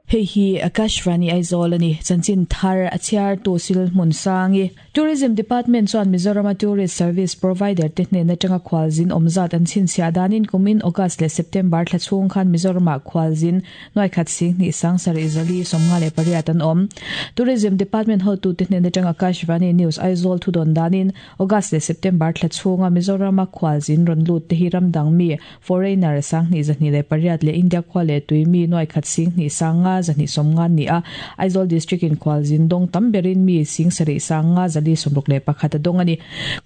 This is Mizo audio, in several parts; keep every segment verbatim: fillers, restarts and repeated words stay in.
Hei hi Akashvani Aizawl ani chanchin thar a chhiar tu sil hmun sangi Tourism Department chuan Mizoram Tourist Service Provider te hnen atanga khwalzin awmzat an chhinchhiah danin kumin August leh September thla chhung khan Mizoramah khwalzin nuai khat sing hnih sang sarih zali sawmnga leh pariat an awm. Tourism Department hotu te hnen atanga Akashvani News Aizawl thu dawn danin August leh September thla chhunga Mizoram khwalzin rawn lut te hi ramdang mi foreigner sang hnih zahnih leh pariat leh India khua leh tui mi nuai khat sing hnih sanga zahnih sawmnga ni a. Aizawl District in khwalzin dawng tam berin mi sing sarih sanga zali sawmruk leh pakhat a dawng ani.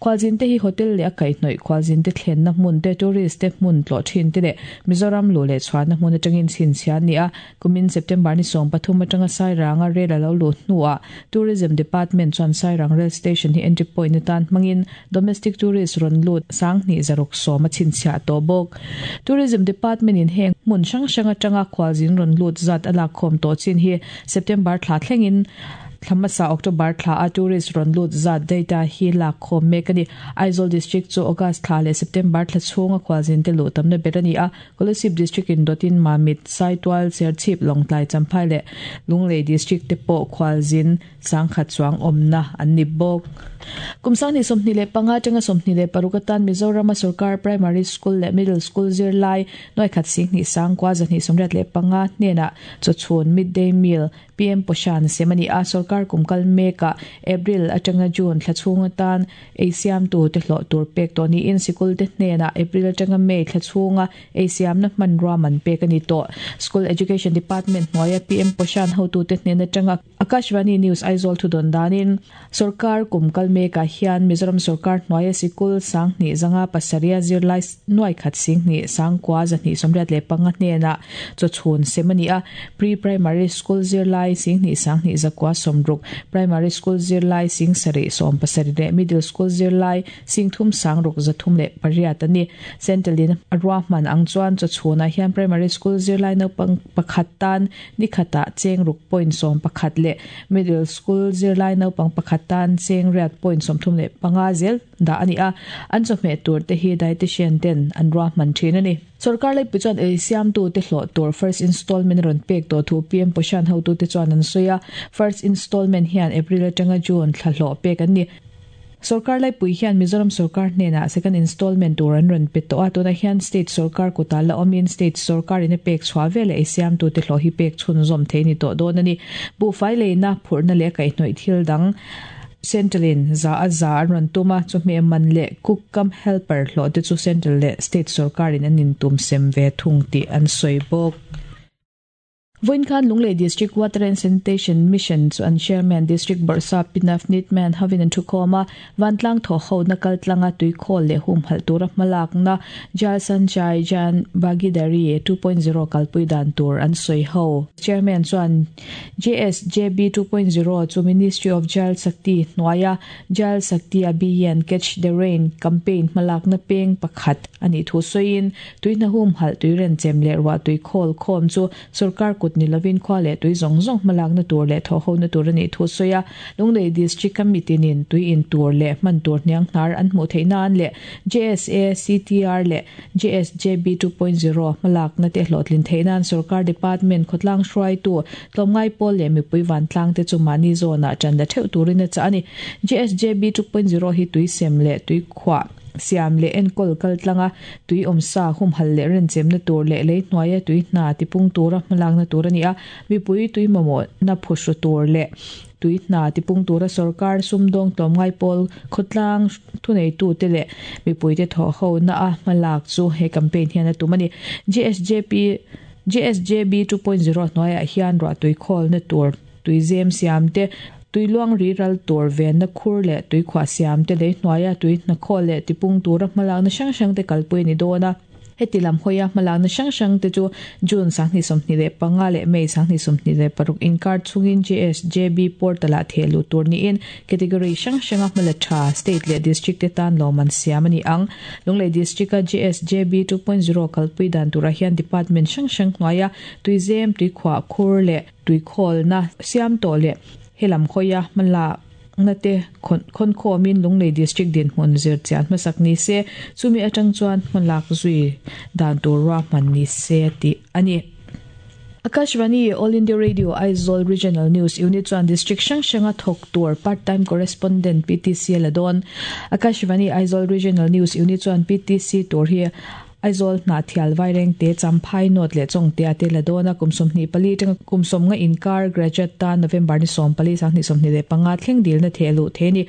Khwalzin te hi hotel leh a kaihhnawih khwalzin te thlenna hmun te tourist te hmun tlawh thin te leh Mizoram lu leh chhuahna hmun atangin chhinchhiah ani a. Kumin September ni sawm pathum atanga Sairanga rail a lo lut hnuah Tourism Department chuan Sairang Rail Station hi entry point atan hmangin domestic tourist rawn lut sang hnih zaruk sawm a chhinchhiah tawh bawk. Tourism Department in heng hmun hrang hrang atanga khwalzin rawn lut zat a lak khawm tawh chin hi September thla thlengin thlamasa October thla a tourist rawn lut zat data hi lak khawm mek ani. Aizawl District chu August thla leh September thla chhunga khwalzin te luh tamna ber ani a. Kolasib District in dawtin Mamit, Saitual, Serchhip, Lawngtlai, Champhai leh Lunglei District te pawh khwalzin sangkhat chuang awmna an ni bawk. Kum sang hnih sawmhnih leh panga atanga sawmhnih leh paruk atan Mizoram sarkar primary school leh middle school zirlai nuai khat sing hnih sangkua zahnih sawmriat leh panga hnenah chawchhun midday meal P M Poshan semani a. Sarkar kumkal meka April atanga June thla chhung atan ei siam tu te hlawh tur pek tawh niin sikul te hnenah April atanga May thla chhunga ei siamna hmanrua man pek ani tawh. School Education Department hnuaia P M Poshan hotu te hnen atanga Akashvani News Aizawl thu dawn danin sarkar kumkal meka hian Mizoram sarkar hnuaia sikul sang hnih zanga pasaria zirlai nuai khat sing hnih sangkua zahnih sawmriat leh panga hnenah chawchhun semani a. Pre-primary school zirlai sing hnih sang hnih zakua sawmruk, primary school zirlai sing sarih sawm pasarih leh middle school zirlai sing thum sangruk zathum leh pariat ani. Centralin a ruahman ang chuan chawchhunah hian primary school zirlai naupang pakhat tan ni khatah cheng ruk point sawm pakhat leh middle school zirlai naupang pakhat tan cheng riat point sawmthum leh panga zel dah ani a. An chawhmeh tur te hi dietitian ten an ruahman thin ani. Sarkar lai chuan ei siam tu te hlawh tur first installment rawn pek tawh thu P M Poshan hotu te chuan an sawi a. First installment hian April atanga June thla hlawh pek an ni. Sarkar lai pui hian Mizoram sarkar hnenah second installment tur an rawn pe tawh a. Tunah hian state sarkar kuta la awmin state sarkar in a pek chhuah veleh ei siam tu te hlawh hi pek chhunzawm thei ni tawh dawn ani. Buhfai leina phurhna leh kaihhnawih thil dang Centralin za a za an rawn tuma chawhmeh man leh cook cum helper hlawh te chu central leh state sarkarin an intum sem ve thung tih an sawi bawk. Voin khan Lunglei District Water and Sanitation Mission chu an chairman District Bawrhsap Pinafnit Man hovin an thu khawm a. Vantlang thaw ho na kal tlanga tui khawl leh hum halh tura hmalak na Jal Sanchay Jan Bhagidari two point zero kalpui dan tur an sawi ho. Chairman chuan J S J B two point zero chu Ministry of Jal Shakti hnuaia Jal Shakti Abhiyan Catch the Rain campaign hmalak na peng pakhat ani thu sawiin tuihna hum halh tui ren chem leh ruah tui khawl khawm chu sarkar kut nilovin khua leh tui zawng zawng hmalak na tur leh thaw ho na tur ani thu sawi a. Lunglei District Committee nin tui in tur leh hman tur hniang hnar an hmuh theih nan leh J S A C T R leh J S J B two point zero hmalak na te hlawhtlin theih nan sarkar department khawtlang hruaitu tlawmngai pawl leh mipui vantlang te chu mahni zawnah tan la theuh turin a chah ani. J S J B two point zero hi tui sem leh tui khuah siam leh enkawl kal tlanga tui awmsa hum hal leh ren chem na tur leh lei hnuaia tui hna tipung tura hmalak na tur ani a. Mipui tui mamawh na phuhru tur leh tui hna tipung tura sarkar sumdawng tlawmngai pawl khawtlang thuneitu te leh mipui te thaw ho na a hmalak chu he campaign hian a tum ani. J S J P J S J B two point zero hnuaiah hian ruah tui khawl na tur tui zem siam te tui luang ri ral tur ven na khur leh tui khuah siam te lei hnuaia tui hna khawl leh tipung tura hmalak na hrang hrang te kalpui ni dawn a. Heti lam hawia hmalak na hrang hrang te chu June sanghnih sawmhnih leh panga leh May sanghnih sawmhnih leh paruk inkar chungin J S J B portal ah thehluh tur niin category hrang hranga hmala tha state leh district te tan lawman siam ani ang. Lunglei District a J S J B two point zero kalpui dan turah hian department hrang hrang hnuaia tui zem tui khuah khur leh tui khawl na siam tawh leh helam khawia hmala na te khon khawmin Lunglei District din hmun zir chian hmasak ni se chumi atang chuan hmalak zui dan tur ruahman ni se tih ani. Akashvani All India Radio Aizawl Regional News Unit chuan District hrang hranga thawk tur Part Time Correspondent PTC a la dawn. Akashvani Aizawl Regional News Unit chuan PTC tur hi Aizawl Hnahthial Vairengte Champhai North leh Chawngtea te la dawn a, kum sawmhnih pali atanga kum sawmnga inkar graduate tan November ni sawm pali sanghnih sawmhnih leh panga thleng dilna theh luh thei a ni.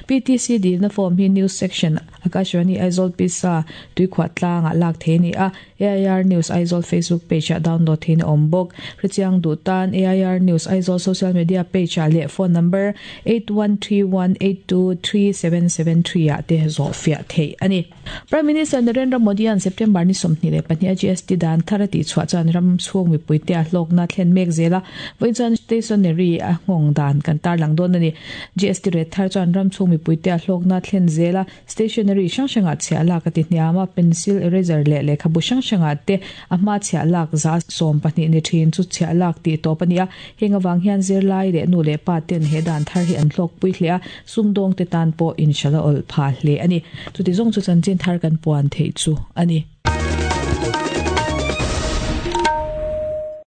PTC dilna form hi News Section Akashvani Aizawl Pisa Tuikhuah tlangah lak thei a ni a, AIR News Aizawl Facebook page ah download theiin a awm bawk. Hrechiang duh tan AIR News Aizawl social media page ah leh phone number eight one three one eight two three seven seven three ah te zawh fiah theih a ni. Prime Minister Narendra Modi an September ni sawmhnih leh pahnih a GST dan thar a tihchhuah chuan ram chhung mipuite a hlawkna thlen mek zel a, vawiin chuan stationery a nghawng dan kan tarlang dawn a ni. GST rate thar chuan ram chhung mipuite a hlawkna thlen zel a, stationery hrang hrangah chhiah lak a ti hniam a, pencil, eraser leh lehkhabu hrang hrangah te a hma chhiah lak za sawm pahnih ni thin chu chhiah lak tih tawp a ni a. Heng avang hian zirlai leh nu leh pa ten he dan thar hi an hlawkpui hle a, sumdawngte tan pawh inhralh a awlh phah hle a ni. Chuti zawng chu chanchin thar kan puan theih chu a ni.